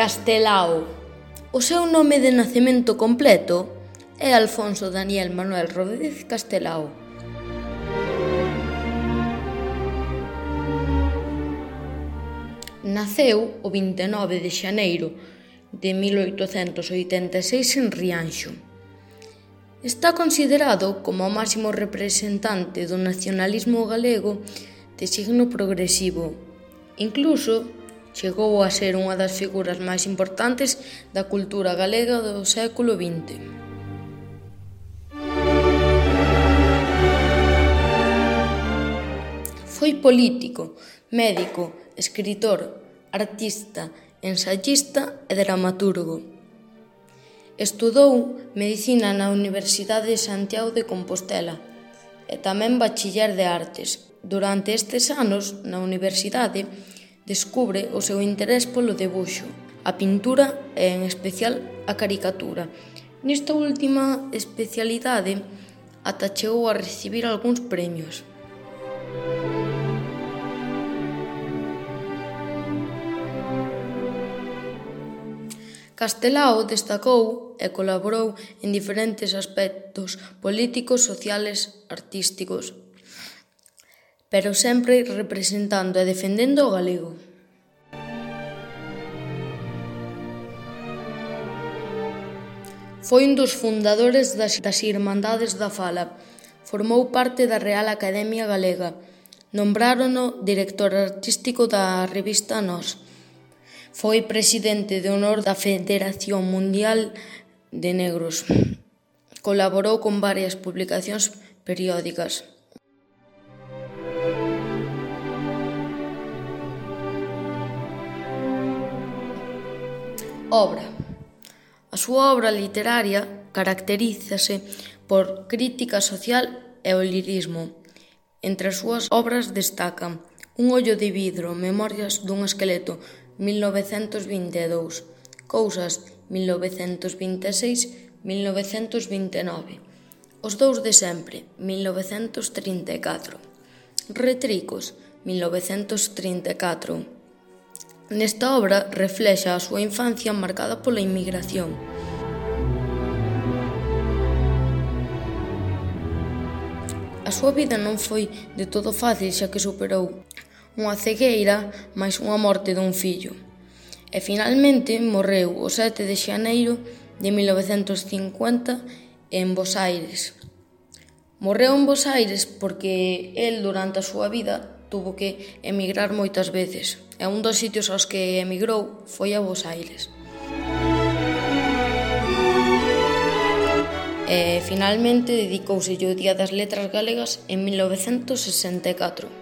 Castelao. O seu nome de nacemento completo é Alfonso Daniel Manuel Rodríguez Castelao. Naceu o 29 de xaneiro de 1886 en Rianxo. Está considerado como o máximo representante do nacionalismo galego de signo progresivo. Incluso chegou a ser unha das figuras máis importantes da cultura galega do século XX. Foi político, médico, escritor, artista, ensayista e dramaturgo. Estudou Medicina na Universidade de Santiago de Compostela e tamén Bachiller de Artes. Durante estes anos, na universidade, descubre o seu interés polo debuxo, a pintura e, en especial, a caricatura. Nesta última especialidade, ata chegou a recibir algúns premios. Castelao destacou e colaborou en diferentes aspectos políticos, sociales, artísticos, pero sempre representando e defendendo o galego. Foi un dos fundadores das Irmandades da Fala. Formou parte da Real Academia Galega. Nombrárono director artístico da revista Nós. Foi presidente de honor da Federación Mundial de Negros. Colaborou con varias publicacións periódicas. Obra. A súa obra literaria caracterízase por crítica social e o lirismo. Entre as súas obras destacan Un ollo de vidro, Memorias dun esqueleto, 1922, Cousas, 1926-1929, Os dous de sempre, 1934, Retricos, 1934. Nesta obra reflexa a súa infancia marcada pola inmigración. A súa vida non foi de todo fácil, xa que superou unha cegueira máis unha morte dun fillo. E finalmente morreu o 7 de xaneiro de 1950 en Bos Aires. Morreu en Bos Aires porque el durante a súa vida tuvo que emigrar moitas veces, e un dos sitios aos que emigrou foi a Bos Aires. E finalmente dedicouselle o Día das Letras Galegas en 1964.